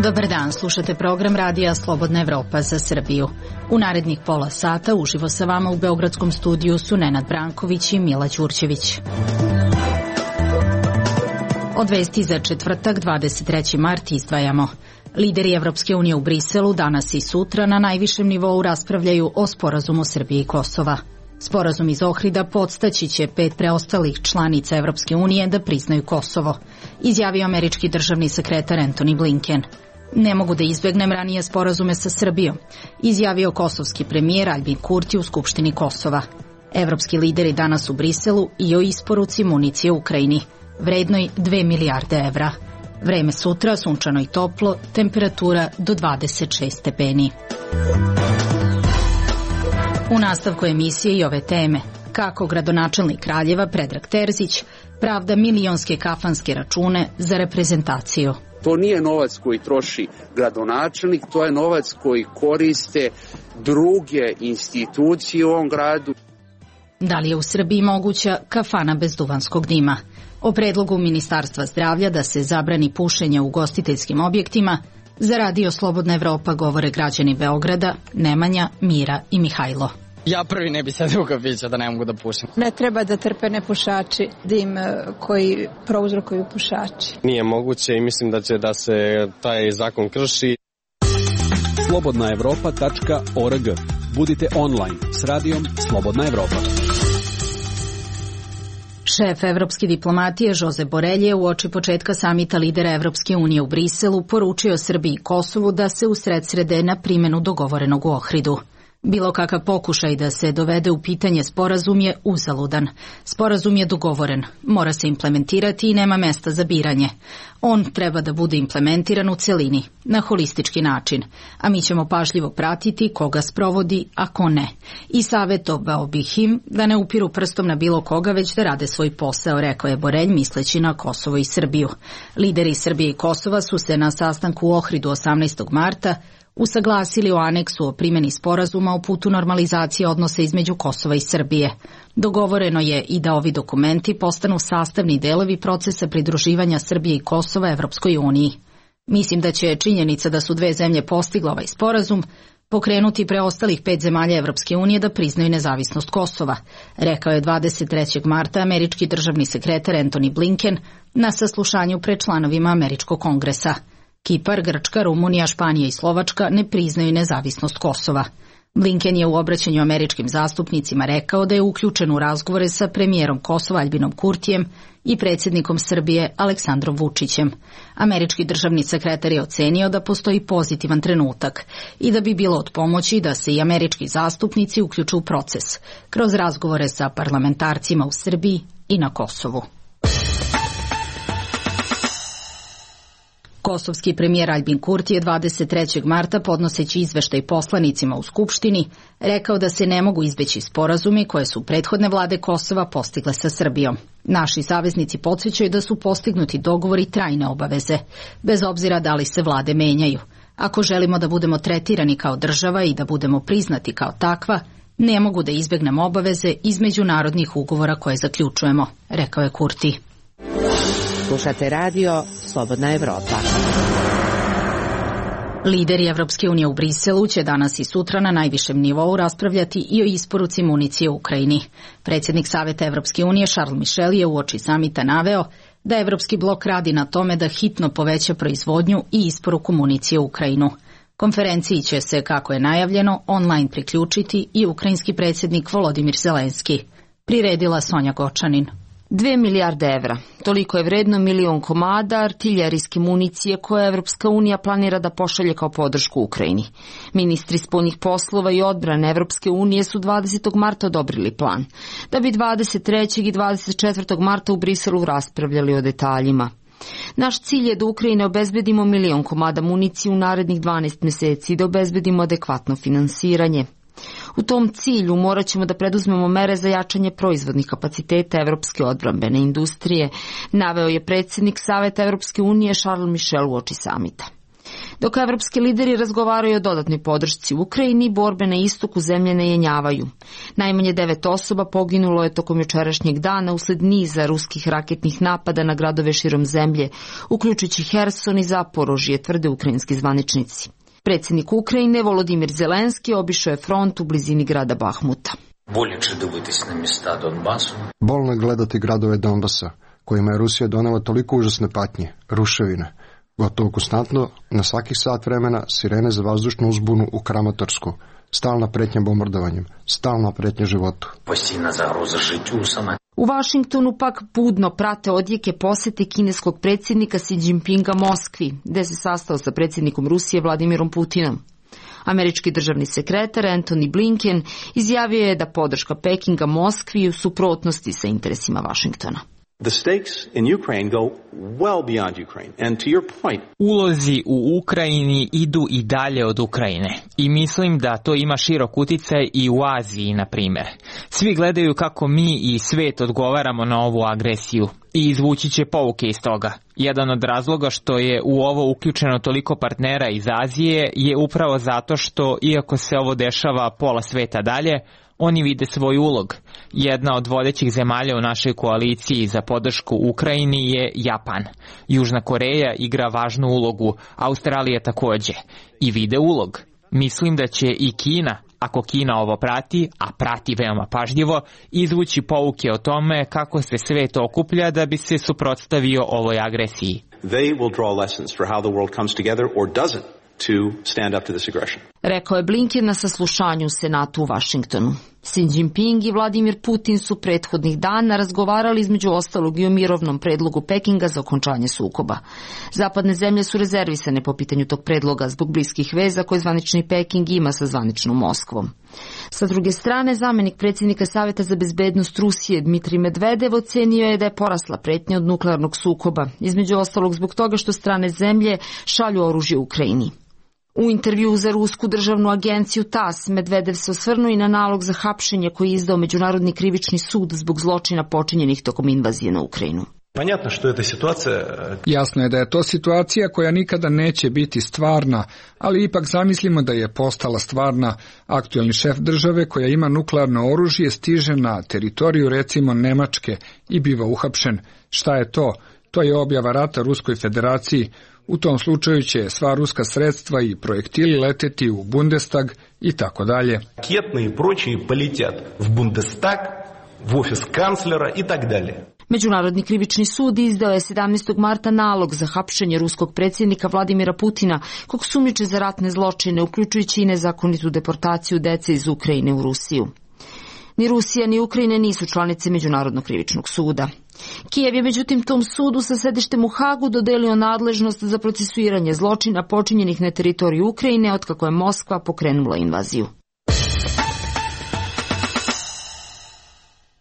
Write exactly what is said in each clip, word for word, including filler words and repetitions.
Dobar dan, slušate program Radija Slobodna Evropa za Srbiju. U narednih pola sata uživo sa vama u beogradskom studiju su Nenad Branković i Mila Đurđević. Od vesti za četvrtak, dvadeset treći mart, izdvajamo. Lideri Evropske unije u Briselu danas i sutra na najvišem nivou raspravljaju o sporazumu Srbije i Kosova. Sporazum iz Ohrida podstaći će pet preostalih članica Evropske unije da priznaju Kosovo, izjavio američki državni sekretar Antony Blinken. Ne mogu da izbegnem ranije sporazume sa Srbijom, izjavio kosovski premijer Aljbin Kurti u Skupštini Kosova. Evropski lideri danas u Briselu i o isporuci municije Ukrajini, vrednoj dve milijarde evra. Vreme sutra sunčano i toplo, temperatura do dvadeset šest stepeni. U nastavku emisije i ove teme, kako gradonačelnik Kraljeva Predrag Terzić pravda milionske kafanske račune za reprezentaciju. To nije novac koji troši gradonačelnik, to je novac koji koriste druge institucije u ovom gradu. Da li je u Srbiji moguća kafana bez duvanskog dima? O predlogu Ministarstva zdravlja da se zabrani pušenje u ugostiteljskim objektima za Radio Slobodna Evropa govore građani Beograda Nemanja, Mira i Mihajlo. Ja prvi ne bi sedio u kafiću da ne mogu da pušim. Ne treba da trpe nepušači dim koji prouzrokuju pušači. Nije moguće i mislim da će da se taj zakon krši. slobodna evropa tačka org. Budite online s radijom Slobodna Evropa. Šef evropske diplomatije Josep Borrell je uoči početka samita lidera Evropske unije u Briselu poručio Srbiji i Kosovu da se usredsrede na primjenu dogovorenog u Ohridu. Bilo kakav pokušaj da se dovede u pitanje sporazum je uzaludan. Sporazum je dogovoren, mora se implementirati i nema mesta za biranje. On treba da bude implementiran u celini, na holistički način, a mi ćemo pažljivo pratiti koga sprovodi, a ko ne. I savjetovao bih im da ne upiru prstom na bilo koga, već da rade svoj posao, rekao je Borrell misleći na Kosovo i Srbiju. Lideri Srbije i Kosova su se na sastanku u Ohridu osamnaestog marta usaglasili o aneksu o primjeni sporazuma o putu normalizacije odnosa između Kosova i Srbije. Dogovoreno je i da ovi dokumenti postanu sastavni delovi procesa pridruživanja Srbije i Kosova Evropskoj uniji. Mislim da će činjenica da su dve zemlje postigle ovaj sporazum pokrenuti preostalih pet zemalja Evropske unije da priznaju nezavisnost Kosova, rekao je dvadeset trećeg marta američki državni sekretar Antony Blinken na saslušanju pred članovima Američkog kongresa. Kipar, Grčka, Rumunija, Španija i Slovačka ne priznaju nezavisnost Kosova. Blinken je u obraćanju američkim zastupnicima rekao da je uključen u razgovore sa premijerom Kosova Aljbinom Kurtijem i predsjednikom Srbije Aleksandrom Vučićem. Američki državni sekretar je ocenio da postoji pozitivan trenutak i da bi bilo od pomoći da se i američki zastupnici uključu u proces kroz razgovore sa parlamentarcima u Srbiji i na Kosovu. Kosovski premijer Aljbin Kurti je dvadeset trećeg marta podnoseći izveštaj poslanicima u Skupštini rekao da se ne mogu izbeći sporazumi koje su prethodne vlade Kosova postigle sa Srbijom. Naši saveznici podsjećaju da su postignuti dogovori trajne obaveze, bez obzira da li se vlade menjaju. Ako želimo da budemo tretirani kao država i da budemo priznati kao takva, ne mogu da izbegnemo obaveze iz međunarodnih ugovora koje zaključujemo, rekao je Kurti. Slušate radio Slobodna Evropa. Lideri Evropske unije u Briselu će danas i sutra na najvišem nivou raspravljati i o isporuci municije u Ukrajini. Predsjednik Saveta Evropske unije Charles Michel je uoči samita naveo da Evropski blok radi na tome da hitno poveća proizvodnju i isporuku municije u Ukrajinu. Konferenciji će se, kako je najavljeno, online priključiti i ukrajinski predsjednik Volodimir Zelenski. Priredila Sonja Gočanin. Dve milijarde evra. Toliko je vredno milion komada artiljerijske municije koje Evropska unija planira da pošalje kao podršku Ukrajini. Ministri spoljnih poslova i odbrane Evropske unije su dvadesetog marta odobrili plan, da bi dvadeset trećeg i dvadeset četvrtog marta u Briselu raspravljali o detaljima. Naš cilj je da Ukrajini obezbedimo milion komada municije u narednih dvanaest meseci i da obezbedimo adekvatno finansiranje. U tom cilju morat ćemo da preduzmemo mere za jačanje proizvodnih kapaciteta evropske odbrambene industrije, naveo je predsjednik Saveta Evropske unije Charles Michel uoči samita. Dok evropski lideri razgovaraju o dodatnoj podršci Ukrajini, borbe na istoku zemlje ne jenjavaju. Najmanje devet osoba poginulo je tokom jučerašnjeg dana usled niza ruskih raketnih napada na gradove širom zemlje, uključujući Herson i Zaporožje, tvrde ukrajinski zvaničnici. Predsjednik Ukrajine Volodimir Zelenski obišao je front u blizini grada Bahmuta. Bolno je gledati gradove Donbasa, kojima je Rusija donela toliko užasne patnje, ruševine. Gotovo konstantno, na svakih sat vremena, sirene za vazdušnu uzbunu u Kramatorsku, stalna pretnja bombardovanjem, stalna pretnja životu. U Vašingtonu pak budno prate odjeke posete kineskog predsjednika Xi Jinpinga Moskvi, gde se sastao sa predsjednikom Rusije Vladimirom Putinom. Američki državni sekretar Antony Blinken izjavio je da podrška Pekinga Moskvi u suprotnosti sa interesima Vašingtona. The stakes in Ukraine go well beyond Ukraine. And to your point, ulozi u Ukrajini idu i dalje od Ukrajine. I mislim da to ima širok uticaj i u Aziji, na primjer. Svi gledaju kako mi i svet odgovaramo na ovu agresiju i izvući će pouke iz toga. Jedan od razloga što je u ovo uključeno toliko partnera iz Azije je upravo zato što, iako se ovo dešava pola sveta dalje, oni vide svoj ulog. Jedna od vodećih zemalja u našoj koaliciji za podršku Ukrajini je Japan. Južna Koreja igra važnu ulogu, Australija takođe. I vide ulog. Mislim da će i Kina, ako Kina ovo prati, a prati veoma pažljivo, izvući pouke o tome kako se svet okuplja da bi se suprotstavio ovoj agresiji. They will draw lessons for how the world comes together or doesn't to stand up to this aggression. Rekao je Blinken na saslušanju u Senatu u Vašingtonu. Xi Jinping i Vladimir Putin su prethodnih dana razgovarali između ostalog i o mirovnom predlogu Pekinga za okončanje sukoba. Zapadne zemlje su rezervisane po pitanju tog predloga zbog bliskih veza koje zvanični Peking ima sa zvaničnom Moskvom. Sa druge strane, zamenik predsjednika Saveta za bezbednost Rusije Dmitrij Medvedev ocenio je da je porasla pretnja od nuklearnog sukoba, između ostalog zbog toga što strane zemlje šalju oružje Ukrajini. U intervju za rusku državnu agenciju TASS Medvedev se osvrnuo i na nalog za hapšenje koji je izdao Međunarodni krivični sud zbog zločina počinjenih tokom invazije na Ukrajinu. Jasno je da je to situacija koja nikada neće biti stvarna, ali ipak zamislimo da je postala stvarna. Aktuelni šef države koja ima nuklearno oružje stiže na teritoriju recimo Nemačke i biva uhapšen. Šta je to? To je objava rata Ruskoj federaciji. U tom slučaju će sva ruska sredstva i projektili leteti u Bundestag i tako dalje. Raketne i pročije poletят v Bundestag, v ofis kanclera i tak dalje. Međunarodni krivični sud izdao je sedamnaestog marta nalog za hapšenje ruskog predsjednika Vladimira Putina, kog sumnjiče za ratne zločine, uključujući i nezakonitu deportaciju dece iz Ukrajine u Rusiju. Ni Rusija ni Ukrajina nisu članice Međunarodnog krivičnog suda. Kijev je međutim tom sudu sa sedištem u Hagu dodelio nadležnost za procesuiranje zločina počinjenih na teritoriju Ukrajine otkako je Moskva pokrenula invaziju.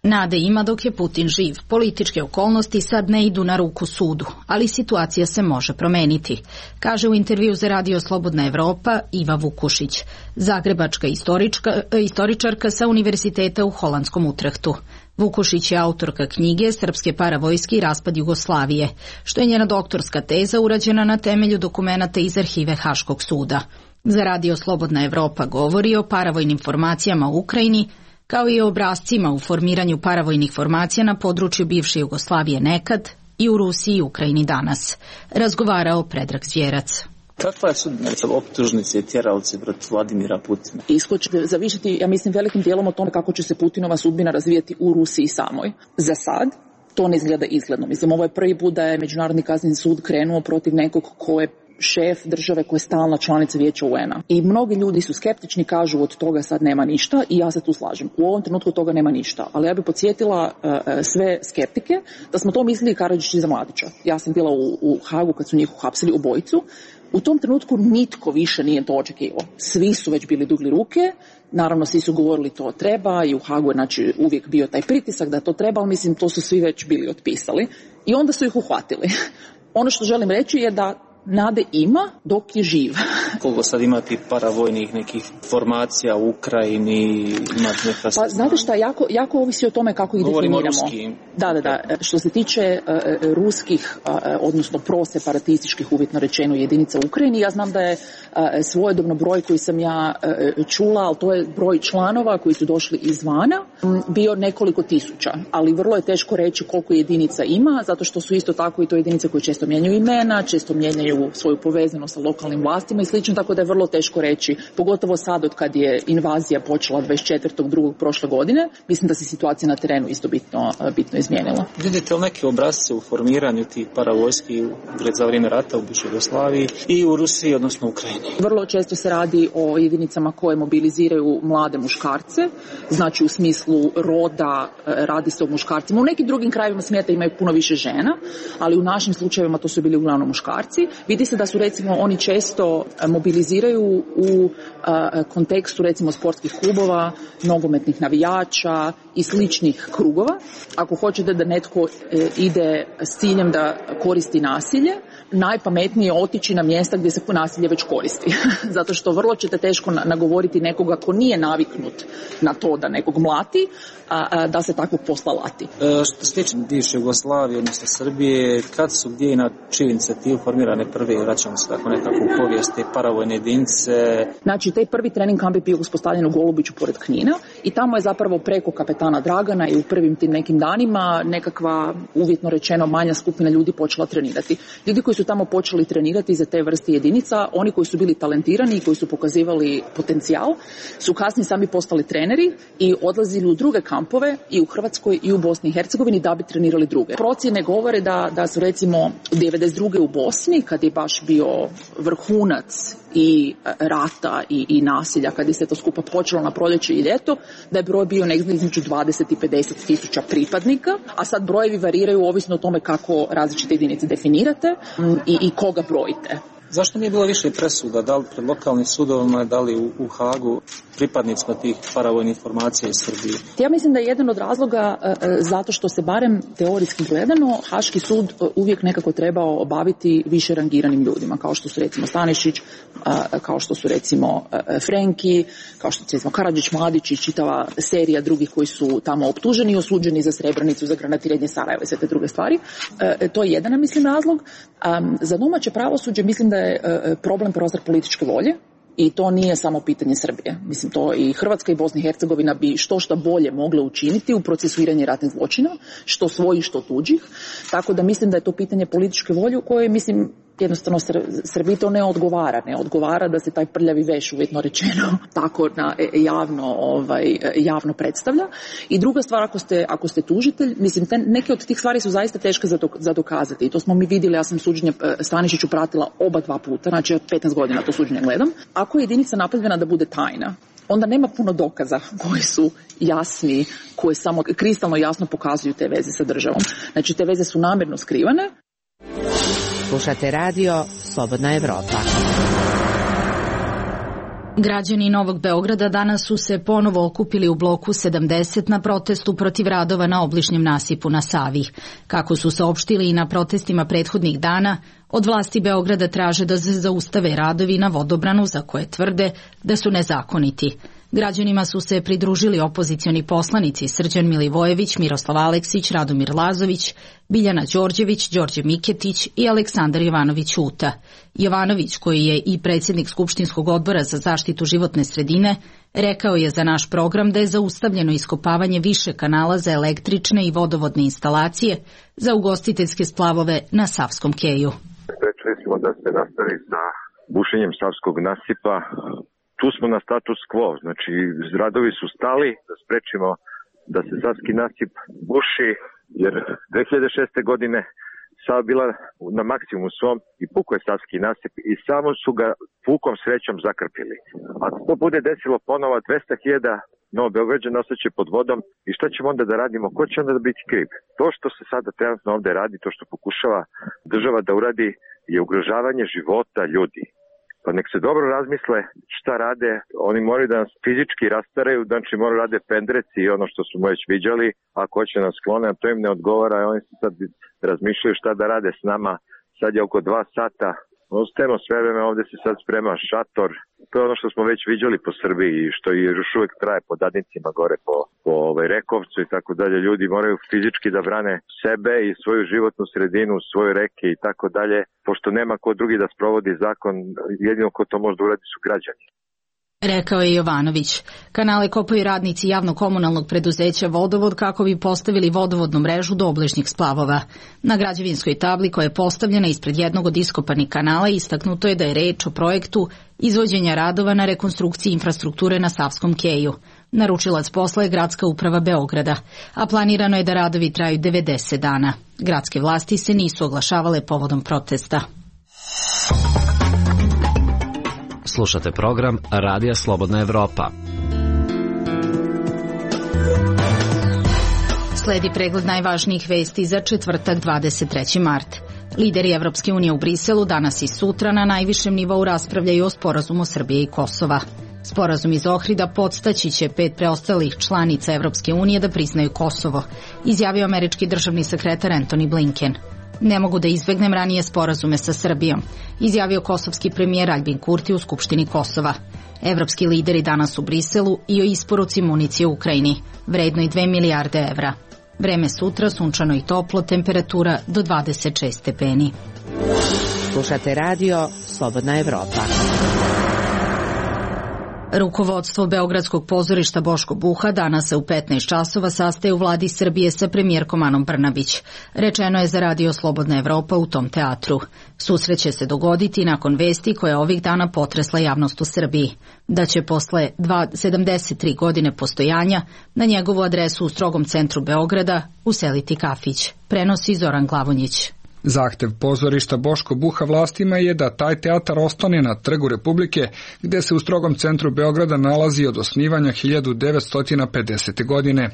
Nade ima dok je Putin živ. Političke okolnosti sad ne idu na ruku sudu, ali situacija se može promeniti, kaže u intervju za Radio Slobodna Evropa Iva Vukušić, zagrebačka istorička, istoričarka sa Univerziteta u holandskom Utrehtu. Vukušić je autorka knjige Srpske paravojske i raspad Jugoslavije, što je njena doktorska teza urađena na temelju dokumenata iz arhive Haškog suda. Za Radio Slobodna Evropa govori o paravojnim formacijama u Ukrajini, kao i o obrascima u formiranju paravojnih formacija na području bivše Jugoslavije nekad i u Rusiji i Ukrajini danas. Razgovarao Predrag Zvjerac. Kakva je sudbina optužnice i tjeralice protiv Vladimira Putina? Ishod će zavisiti, ja mislim, velikim dijelom o tome kako će se Putinova sudbina razvijati u Rusiji samoj. Za sad to ne izgleda izgledno. Mislim, ovo je prvi put da je Međunarodni kazneni sud krenuo protiv nekog ko je šef države koja je stalna članica Vijeća U N A. I mnogi ljudi su skeptični, kažu od toga sad nema ništa i ja se tu slažem. U ovom trenutku toga nema ništa. Ali ja bih podsjetila uh, sve skeptike da smo to mislili Karadžić i za Mladića. Ja sam bila u, u Hagu kad su njih uhapsili obojicu. U tom trenutku nitko više nije to očekivao. Svi su već bili dugli ruke, naravno svi su govorili to treba i u Hagu je znači, uvijek bio taj pritisak da to treba, ali mislim to su svi već bili otpisali i onda su ih uhvatili. Ono što želim reći je da nade ima dok je živ. Koliko sad imati paravojnih nekih formacija u Ukrajini, imati neka... Pa znate šta, jako, jako ovisi o tome kako ih Govorimo definiramo. Ruski. Da, da, da. Što se tiče uh, ruskih, uh, odnosno proseparatističkih, uvjetno rečeno, jedinica u Ukrajini, ja znam da je uh, svojedobno broj koji sam ja uh, čula, ali to je broj članova koji su došli izvana, um, bio nekoliko tisuća, ali vrlo je teško reći koliko jedinica ima, zato što su isto tako i to jedinice koje često mijenjaju imena, često mijenjaju svoju povezanost sa lokalnim vlastima i slično, tako da je vrlo teško reći, pogotovo sad od kad je invazija počela dvadeset četvrtog drugog prošle godine, mislim da se situacija na terenu isto bitno, bitno izmijenila. Vidite li neke obrazce u formiranju tih paravojski za vrijeme rata u bivšoj Jugoslaviji i u Rusiji, odnosno Ukrajini? Vrlo često se radi o jedinicama koje mobiliziraju mlade muškarce, znači u smislu roda radi se o muškarcima. U nekim drugim krajevima svijeta imaju puno više žena, ali u našim slučajevima to su bili uglavnom muškarci. Vidi se da su recimo oni često mobiliziraju u a, kontekstu recimo sportskih klubova, nogometnih navijača i sličnih krugova. Ako hoćete da netko e, ide s ciljem da koristi nasilje, najpametnije je otići na mjesta gdje se nasilje već koristi. Zato što vrlo ćete teško nagovoriti nekoga ko nije naviknut na to da nekog mlati, a, a, da se takvog posla lati. E, što se tiče bivše Jugoslavije, odnosno Srbije, kad su gdje i na čiju inicijativu formirane prve, vraćamo se tako nekako u povijest, te paravojne jedinice? Znači, taj prvi trening kamp je bio uspostavljen u Golubiću pored Knina i tamo je zapravo preko kapetana Dragana i u prvim tim nekim danima nekakva, uvjetno rečeno, manja skupina ljudi počela trenirati. Ljudi koji su tamo počeli trenirati za te vrste jedinica, oni koji su bili talentirani i koji su pokazivali potencijal, su kasnije sami postali treneri i odlazili u druge kampove i u Hrvatskoj i u Bosni i Hercegovini da bi trenirali druge. Procjene govore da, da su recimo devedeset druge u Bosni, kad je baš bio vrhunac i rata i, i nasilja, kad je se to skupa počelo na proljeće i ljeto, da je broj bio negdje između dvadeset i pedeset tisuća pripadnika, a sad brojevi variraju ovisno o tome kako različite jedinice definirate i, i koga brojite. Zašto nije bilo više presuda, da li pred lokalnim sudovima, da li u, u Hagu, pripadnicima tih paravojnih formacija iz Srbije? Ja mislim da je jedan od razloga uh, zato što se barem teorijski gledano Haški sud uh, uvijek nekako trebao obaviti više rangiranim ljudima, kao što su recimo Stanišić, uh, kao što su recimo uh, Frenki, kao što su recimo Karadžić, Mladić i čitava serija drugih koji su tamo optuženi i osuđeni za Srebrenicu, za granatiranje Sarajeva i sve te druge stvari. Uh, to je jedan, mislim, razlog. Um, za domaće pravosuđe mislim da je uh, problem prostor političke volje. I to nije samo pitanje Srbije. Mislim, to i Hrvatska i Bosna i Hercegovina bi što šta bolje mogle učiniti u procesuiranju ratnih zločina, što svojih, što tuđih. Tako da mislim da je to pitanje političke volje u kojoj, mislim, jednostavno Srbiji to ne odgovara. Ne odgovara da se taj prljavi veš, uvjetno rečeno, tako na, javno, ovaj, javno predstavlja. I druga stvar, ako ste, ako ste tužitelj, mislim, te, neke od tih stvari su zaista teške za, do, za dokazati. I to smo mi vidjeli, ja sam suđenje Stanišiću pratila oba dva puta, znači petnaest godina to suđenje gledam. Ako je jedinica napravljena da bude tajna, onda nema puno dokaza koji su jasni, koji samo kristalno jasno pokazuju te veze sa državom. Znači, te veze su namjerno skrivane. Slušate radio Slobodna Evropa. Građani Novog Beograda danas su se ponovo okupili u bloku sedamdeset na protestu protiv radova na obližnjem nasipu na Savi. Kako su saopštili i na protestima prethodnih dana, od vlasti Beograda traže da se zaustave radovi na vodobranu za koje tvrde da su nezakoniti. Građanima su se pridružili opozicioni poslanici Srđan Milivojević, Miroslav Aleksić, Radomir Lazović, Biljana Đorđević, Đorđe Miketić i Aleksandar Jovanović Uta. Jovanović, koji je i predsjednik Skupštinskog odbora za zaštitu životne sredine, rekao je za naš program da je zaustavljeno iskopavanje više kanala za električne i vodovodne instalacije za ugostiteljske splavove na Savskom keju. Sprečili smo da se nastavi sa bušenjem Savskog nasipa. Tu smo na status quo, znači radovi su stali da sprečimo da se Savski nasip buši, jer dve hiljade šeste. godine Sava bila na maksimumu svom i pukao je Savski nasip i samo su ga pukom srećom zakrpili. Ako to bude desilo ponovo, dvesta hiljada Novobeograđana ostaće pod vodom i šta ćemo onda da radimo? Ko će onda da biti kriv? To što se sada trenutno ovde radi, to što pokušava država da uradi, je ugrožavanje života ljudi. Pa nek se dobro razmisle šta rade, oni moraju da nas fizički rastaraju, znači moraju rade pendreci i ono što smo već viđali, ako hoće nas sklone, a to im ne odgovara, oni se sad razmišljaju šta da rade s nama, sad je oko dva sata ostajemo sve vreme, ovde se sad sprema šator. To je ono što smo već viđali po Srbiji i što još uvek traje po Dadnicima gore po, po ovaj, Rekovcu i tako dalje. Ljudi moraju fizički da brane sebe i svoju životnu sredinu, svoje reke i tako dalje, pošto nema ko drugi da sprovodi zakon, jedino ko to može da uradi su građani. Rekao je Jovanović. Kanale kopaju radnici javno-komunalnog preduzeća Vodovod kako bi postavili vodovodnu mrežu do obližnjih splavova. Na građevinskoj tabli koja je postavljena ispred jednog od iskopanih kanala istaknuto je da je reč o projektu izvođenja radova na rekonstrukciji infrastrukture na Savskom keju. Naručilac posla je Gradska uprava Beograda, a planirano je da radovi traju devedeset dana. Gradske vlasti se nisu oglašavale povodom protesta. Slušate program Radija Slobodna Evropa. Sledi pregled najvažnijih vesti za četvrtak dvadeset treći mart. Lideri Evropske unije u Briselu danas i sutra na najvišem nivou raspravljaju o sporazumu Srbije i Kosova. Sporazum iz Ohrida podstaći će pet preostalih članica Evropske unije da priznaju Kosovo, izjavio američki državni sekretar Antony Blinken. Ne mogu da izbegnem ranije sporazume sa Srbijom, izjavio kosovski premijer Aljbin Kurti u Skupštini Kosova. Evropski lideri danas u Briselu i o isporuci municije u Ukrajini, vrednoj dve milijarde evra. Vreme sutra sunčano i toplo, temperatura do dvadeset šest stepeni. Slušate radio Slobodna Evropa. Rukovodstvo Beogradskog pozorišta Boško Buha danas se u petnaest časova sastaje u vladi Srbije sa premijerkom Anom Brnabić. Rečeno je za radio Slobodna Evropa u tom teatru. Susret će se dogoditi nakon vesti koja je ovih dana potresla javnost u Srbiji. Da će posle sedamdeset tri godine postojanja na njegovu adresu u strogom centru Beograda useliti kafić. Prenosi Zoran Glavonjić. Zahtev pozorišta Boško Buha vlastima je da taj teatar ostane na Trgu Republike, gde se u strogom centru Beograda nalazi od osnivanja hiljadu devetsto pedesete. godine.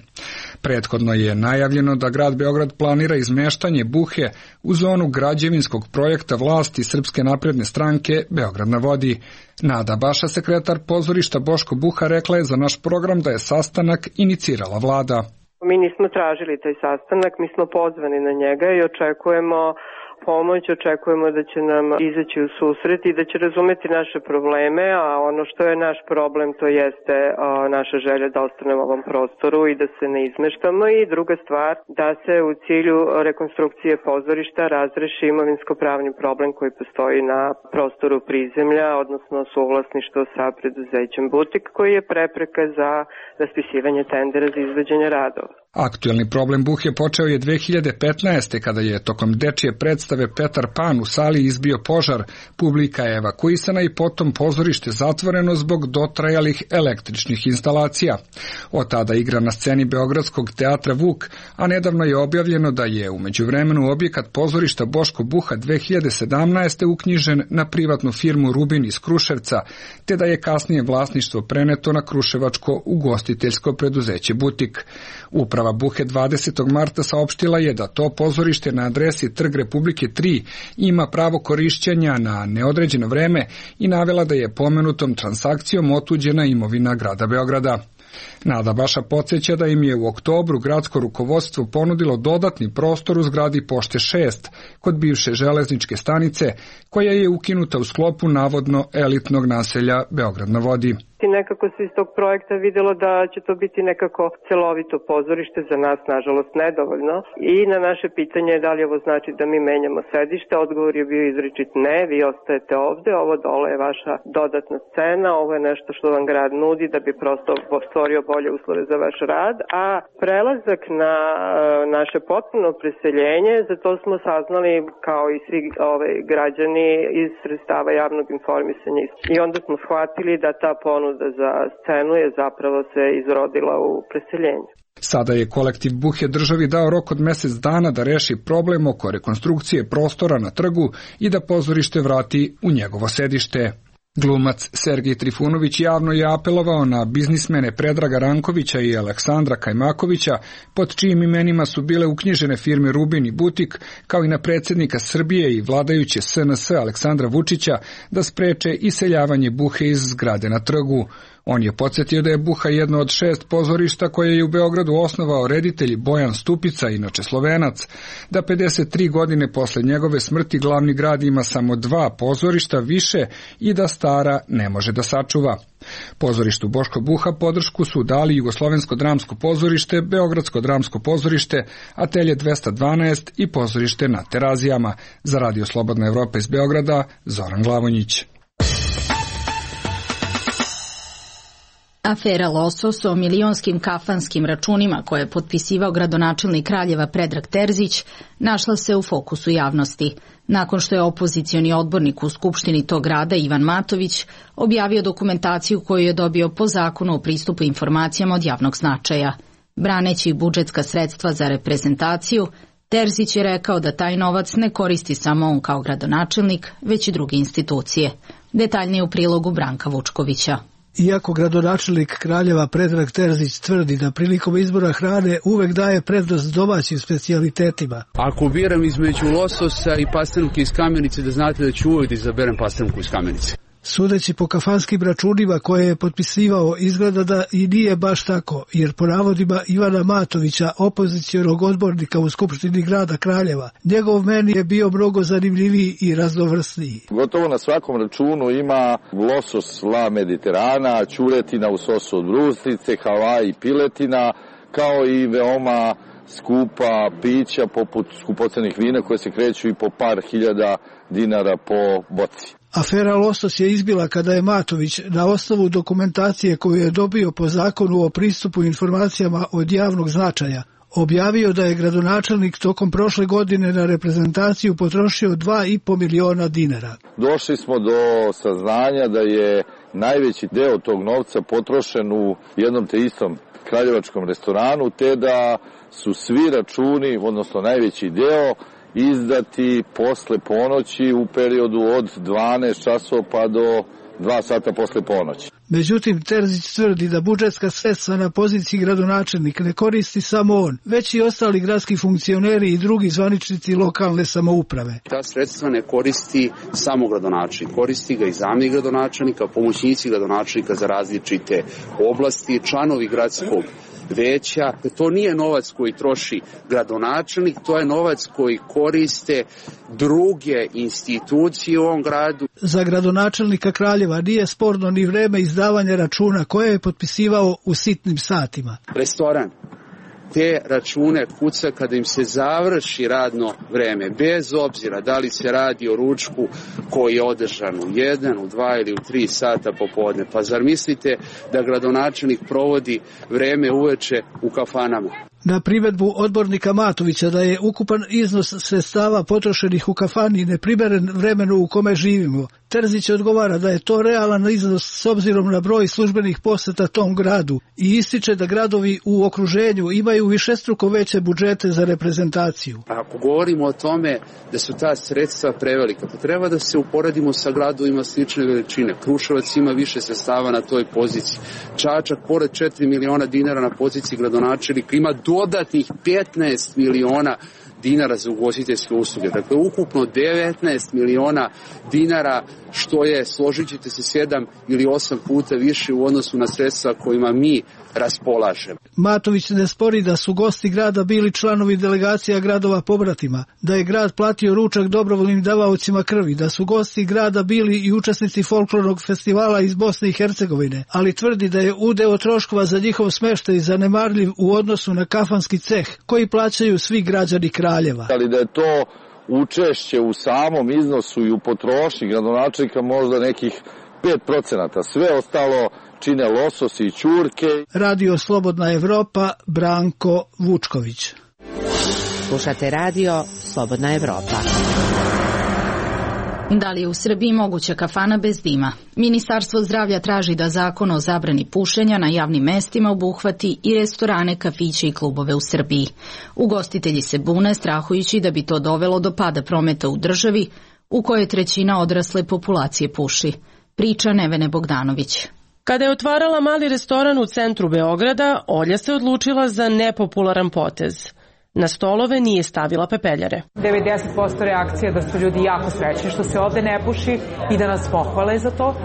Prethodno je najavljeno da grad Beograd planira izmeštanje Buhe u zonu građevinskog projekta vlasti Srpske napredne stranke Beograd na vodi. Nada Baša, sekretar pozorišta Boško Buha, rekla je za naš program da je sastanak inicirala vlada. Mi nismo tražili taj sastanak, mi smo pozvani na njega i očekujemo pomoć, očekujemo da će nam izaći u susret i da će razumeti naše probleme, a ono što je naš problem to jeste a, naša želja da ostanemo u ovom prostoru i da se ne izmeštamo, i druga stvar da se u cilju rekonstrukcije pozorišta razreši imovinsko-pravni problem koji postoji na prostoru prizemlja, odnosno suvlasništvo sa preduzećem Butik, koji je prepreka za raspisivanje tendera za izvođenje radova. Aktuelni problem Buhe počeo je dve hiljade petnaeste. kada je tokom dečije predstave Petar Pan u sali izbio požar, publika je evakuisana i potom pozorište zatvoreno zbog dotrajalih električnih instalacija. Od tada igra na sceni Beogradskog teatra Vuk, a nedavno je objavljeno da je u međuvremenu objekat pozorišta Boško Buha dve hiljade sedamnaeste. uknjižen na privatnu firmu Rubin iz Kruševca, te da je kasnije vlasništvo preneto na kruševačko ugostiteljsko preduzeće Butik. Uprava Buhe dvadesetog marta saopštila je da to pozorište na adresi Trg Republike tri ima pravo korišćenja na neodređeno vreme i navela da je pomenutom transakcijom otuđena imovina grada Beograda. Nada Baša podsjeća da im je u oktobru gradsko rukovodstvo ponudilo dodatni prostor u zgradi Pošte šest kod bivše železničke stanice, koja je ukinuta u sklopu navodno elitnog naselja Beograd na vodi. Nekako se iz tog projekta videlo da će to biti nekako celovito pozorište, za nas nažalost nedovoljno, i na naše pitanje da li ovo znači da mi menjamo sedište, odgovor je bio izričit ne, vi ostajete ovde, ovo dole je vaša dodatna scena, ovo je nešto što vam grad nudi da bi prosto stvorio bolje uslove za vaš rad, a prelazak na naše potpuno preseljenje, za to smo saznali kao i svi ove građani iz sredstava javnog informisanja, i onda smo shvatili da ta ponuda za scenu je zapravo se izrodila u preseljenju. Sada je kolektiv Buhe državi dao rok od mesec dana da reši problem oko rekonstrukcije prostora na trgu i da pozorište vrati u njegovo sedište. Glumac Sergej Trifunović javno je apelovao na biznismene Predraga Rankovića i Aleksandra Kajmakovića, pod čijim imenima su bile uknjižene firme Rubin i Butik, kao i na predsjednika Srbije i vladajuće S N S Aleksandra Vučića, da spreče iseljavanje Buhe iz zgrade na trgu. On je podsjetio da je Buha jedno od šest pozorišta koje je u Beogradu osnovao reditelj Bojan Stupica, inače Slovenac, da pedeset tri godine posle njegove smrti glavni grad ima samo dva pozorišta više i da stara ne može da sačuva. Pozorištu Boško Buha podršku su dali Jugoslovensko dramsko pozorište, Beogradsko dramsko pozorište, Atelje dvesta dvanaest i pozorište na Terazijama. Za Radio Slobodna Evropa iz Beograda, Zoran Glavonjić. Afera Losos o milionskim kafanskim računima koje je potpisivao gradonačelnik Kraljeva Predrag Terzić našla se u fokusu javnosti, nakon što je opozicioni odbornik u Skupštini tog grada Ivan Matović objavio dokumentaciju koju je dobio po zakonu o pristupu informacijama od javnog značaja. Braneći budžetska sredstva za reprezentaciju, Terzić je rekao da taj novac ne koristi samo on kao gradonačelnik, već i druge institucije. Detaljnije u prilogu Branka Vučkovića. Iako gradonačelnik Kraljeva Predrag Terzić tvrdi da prilikom izbora hrane uvek daje prednost domaćim specijalitetima. Ako biram između lososa i pastrnke iz Kamenice, da znate da ću uvek da izaberem pastrnku iz Kamenice. Sudeći po kafanskim računima koje je potpisivao, izgleda da i nije baš tako, jer po navodima Ivana Matovića, opozicionog odbornika u Skupštini grada Kraljeva, njegov meni je bio mnogo zanimljiviji i raznovrsniji. Gotovo na svakom računu ima losos la Mediterana, ćuretina u sosu od brusnice, Havaji piletina, kao i veoma skupa pića poput skupocenih vina koje se kreću i po par hiljada dinara po boci. Afera Losos je izbila kada je Matović na osnovu dokumentacije koju je dobio po zakonu o pristupu informacijama od javnog značaja objavio da je gradonačelnik tokom prošle godine na reprezentaciju potrošio dva i po miliona dinara. Došli smo do saznanja da je najveći deo tog novca potrošen u jednom te istom kraljevačkom restoranu, te da su svi računi, odnosno najveći deo, izdati posle ponoći u periodu od dvanaest časova pa do dva sata posle ponoći. Međutim, Terzić tvrdi da budžetska sredstva na poziciji gradonačelnik ne koristi samo on, već i ostali gradski funkcioneri i drugi zvaničnici lokalne samouprave. Ta sredstva ne koristi samo gradonačelnik, koristi ga i zamjenik gradonačelnika, pomoćnici gradonačelnika za različite oblasti, članovi gradskog veća. To nije novac koji troši gradonačelnik, to je novac koji koriste druge institucije u ovom gradu. Za gradonačelnika Kraljeva nije sporno ni vreme izdavanja računa koje je potpisivao u sitnim satima. Restoran te račune kuca kada im se završi radno vreme, bez obzira da li se radi o ručku koji je održan u jedan, u dva ili u tri sata popodne. Pa zar mislite da gradonačelnik provodi vreme uveče u kafanama? Na primedbu odbornika Matovića da je ukupan iznos sredstava potrošenih u kafani neprimeren vremenu u kome živimo, Terzić odgovara da je to realan iznos s obzirom na broj službenih poseta tom gradu i ističe da gradovi u okruženju imaju višestruko veće budžete za reprezentaciju. Ako govorimo o tome da su ta sredstva prevelika, pa treba da se uporedimo sa gradovima slične veličine. Kruševac ima više sredstava na toj poziciji. Čačak, pored četiri miliona dinara na poziciji gradonačelnika, ima dodatnih petnaest miliona dinara za ugostiteljske usluge. Dakle, ukupno devetnaest miliona dinara, što je, složit ćete se, sedam ili osam puta više u odnosu na sredstva kojima mi raspolažemo. Matović ne spori da su gosti grada bili članovi delegacija gradova pobratima, da je grad platio ručak dobrovoljnim davaocima krvi, da su gosti grada bili i učesnici folklornog festivala iz Bosne i Hercegovine, ali tvrdi da je udeo troškova za njihov smeštaj zanemarljiv u odnosu na kafanski ceh koji plaćaju svi građani Kraljeva. Ali da je to učešće u samom iznosu i u potrošnji gradonačelnika možda nekih pet procenata. Sve ostalo čine lososi i ćurke. Radio Slobodna Evropa, Branko Vučković. Slušate Radio Slobodna Evropa. Da li je u Srbiji moguća kafana bez dima? Ministarstvo zdravlja traži da zakon o zabrani pušenja na javnim mestima obuhvati i restorane, kafiće i klubove u Srbiji. Ugostitelji se bune, strahujući da bi to dovelo do pada prometa u državi, u kojoj trećina odrasle populacije puši. Priča Nevene Bogdanović. Kada je otvarala mali restoran u centru Beograda, Olja se odlučila za nepopularan potez. Na stolove nije stavila pepeljare. devedeset posto reakcija da su ljudi jako srećni što se ovde ne puši i da nas pohvale za to.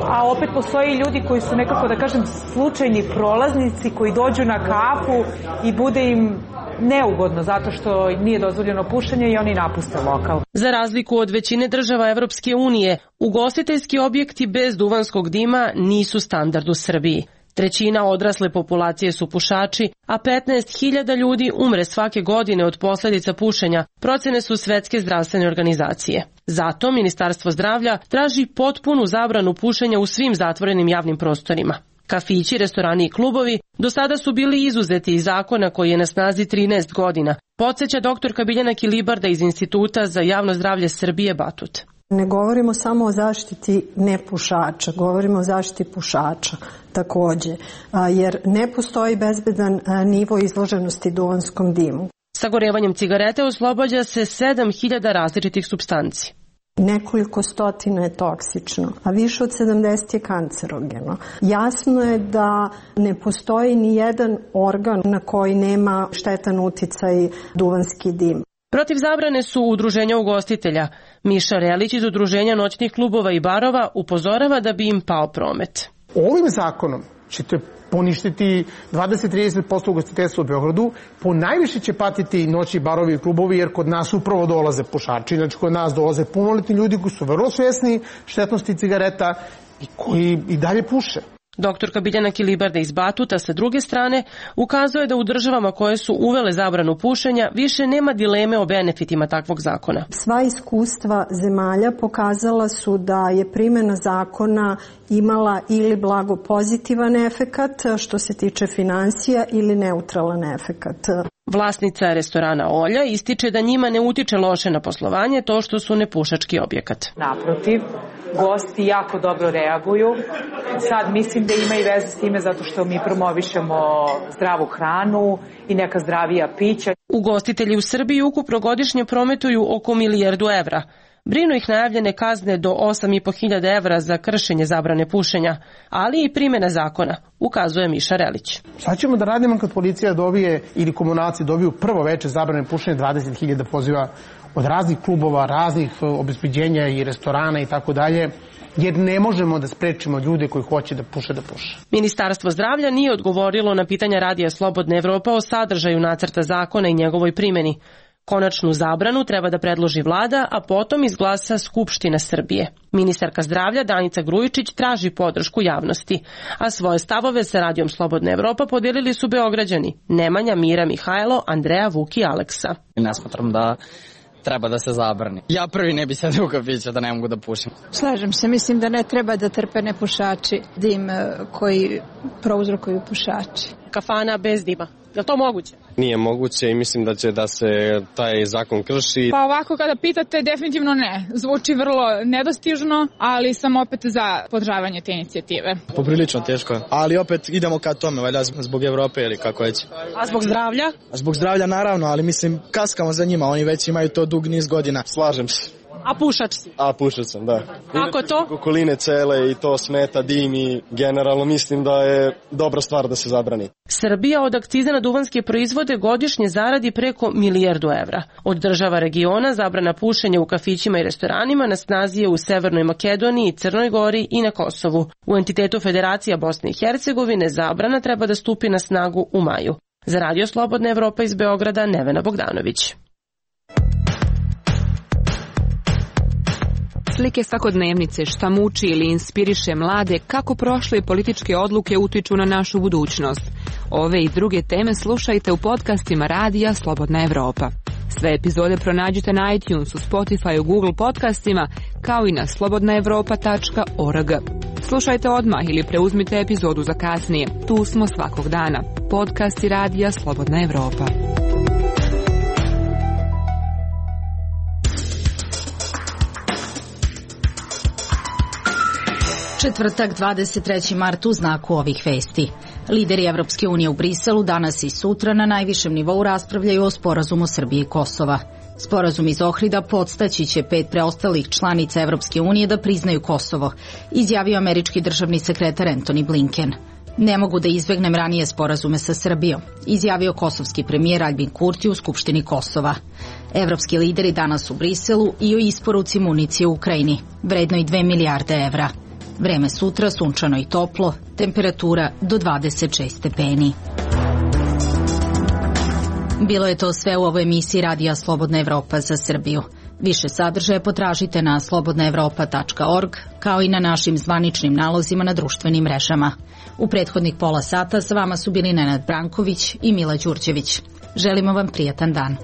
A opet postoje i ljudi koji su nekako, da kažem, slučajni prolaznici koji dođu na kafu i bude im neugodno zato što nije dozvoljeno pušenje i oni napuste lokal. Za razliku od većine država Evropske unije, ugostiteljski objekti bez duvanskog dima nisu standard u Srbiji. Trećina odrasle populacije su pušači, a petnaest hiljada ljudi umre svake godine od posljedica pušenja, procene su Svetske zdravstvene organizacije. Zato Ministarstvo zdravlja traži potpunu zabranu pušenja u svim zatvorenim javnim prostorima. Kafići, restorani i klubovi do sada su bili izuzeti iz zakona koji je na snazi trinaest godina, podsjeća doktorka Biljana Kilibarda iz Instituta za javno zdravlje Srbije Batut. Ne govorimo samo o zaštiti nepušača, govorimo o zaštiti pušača takođe, jer ne postoji bezbedan nivo izloženosti duvanskom dimu. Sagorevanjem cigarete oslobađa se sedam hiljada različitih supstanci. Nekoliko stotina je toksično, a više od sedamdeset je kancerogeno. Jasno je da ne postoji ni jedan organ na koji nema štetan uticaj duvanski dim. Protiv zabrane su udruženja ugostitelja. Miša Relić iz Udruženja noćnih klubova i barova upozorava da bi im pao promet. Ovim zakonom ćete poništiti dvadeset do trideset posto ugostiteljstva u Beogradu, po najviše će patiti noćni barovi i klubovi, jer kod nas upravo dolaze pušači, znači kod nas dolaze punoletni ljudi koji su vrlo svjesni štetnosti cigareta i koji i dalje puše. Doktorka Biljana Kilibarda iz Batuta sa druge strane ukazuje da u državama koje su uvele zabranu pušenja više nema dileme o benefitima takvog zakona. Sva iskustva zemalja pokazala su da je primjena zakona imala ili blago pozitivan efekat što se tiče finansija ili neutralan efekat. Vlasnica restorana Olja ističe da njima ne utiče loše na poslovanje to što su nepušački objekat. Naprotiv, gosti jako dobro reaguju. Sad mislim da ima i veze s time zato što mi promovišemo zdravu hranu i neka zdravija pića. Ugostitelji u Srbiji ukupno godišnje prometuju oko milijardu evra. Brinu ih najavljene kazne do osam i po hiljada evra za kršenje zabrane pušenja, ali i primjena zakona, ukazuje Miša Relić. Sad ćemo da radimo kad policija dobije ili komunalci dobiju prvo veče zabrane pušenja, dvadeset hiljada poziva od raznih klubova, raznih obezbeđenja i restorana i tako dalje, jer ne možemo da sprečimo ljude koji hoće da puše da puše. Ministarstvo zdravlja nije odgovorilo na pitanja Radija Slobodna Evropa o sadržaju nacrta zakona i njegovoj primjeni. Konačnu zabranu treba da predloži vlada, a potom izglasa Skupština Srbije. Ministarka zdravlja Danica Grujičić traži podršku javnosti, a svoje stavove sa Radijom Slobodna Evropa podijelili su Beograđani Nemanja, Mira, Mihajlo, Andreja, Vuk i Aleksa. Ne smatram da treba da se zabrani. Ja prvi ne bi sedeo u kafiću da ne mogu da pušim. Slažem se, mislim da ne treba da trpe nepušači dim koji prouzrokuju pušači. Kafana bez dima. Je li to moguće? Nije moguće i mislim da će da se taj zakon krši. Pa ovako kada pitate, definitivno ne. Zvuči vrlo nedostižno, ali sam opet za podržavanje te inicijative. Poprilično teško, ali opet idemo ka tome, valjda zbog Evrope ili kako već. A zbog zdravlja? A zbog zdravlja naravno, ali mislim kaskamo za njima, oni već imaju to dug niz godina. Slažem se. A pušač si? A pušač sam, da. Kako to? Okoline cele i to smeta, dim i generalno mislim da je dobra stvar da se zabrani. Srbija od akciza na duvanske proizvode godišnje zaradi preko milijardu evra. Od država regiona zabrana pušenja u kafićima i restoranima na snazi je u Severnoj Makedoniji, Crnoj Gori i na Kosovu. U entitetu Federacija Bosne i Hercegovine zabrana treba da stupi na snagu u maju. Za Radio Slobodna Evropa iz Beograda, Nevena Bogdanović. Slike svakodnevnice, šta muči ili inspiriše mlade, kako prošle političke odluke utiču na našu budućnost. Ove i druge teme slušajte u podcastima Radija Slobodna Evropa. Sve epizode pronađite na iTunesu, Spotifyu, Google podcastima, kao i na slobodna evropa tačka org. Slušajte odmah ili preuzmite epizodu za kasnije. Tu smo svakog dana. Podcasti Radija Slobodna Evropa. Četvrtak, dvadeset treći mart, u znaku ovih vesti. Lideri Evropske unije u Briselu danas i sutra na najvišem nivou raspravljaju o sporazumu Srbije i Kosova. Sporazum iz Ohrida podstaći će pet preostalih članica Evropske unije da priznaju Kosovo, izjavio američki državni sekretar Antony Blinken. Ne mogu da izbegnem ranije sporazume sa Srbijom, izjavio kosovski premijer Aljbin Kurti u Skupštini Kosova. Evropski lideri danas u Briselu i o isporuci municije u Ukrajini, vrednoj dve milijarde evra. Vreme sutra sunčano i toplo, temperatura do dvadeset šest stepeni. Bilo je to sve u ovoj emisiji Radija Slobodna Evropa za Srbiju. Više sadržaja potražite na slobodna evropa tačka org, kao i na našim zvaničnim nalozima na društvenim mrežama. U prethodnih pola sata sa vama su bili Nenad Branković i Mila Đurđević. Želimo vam prijatan dan.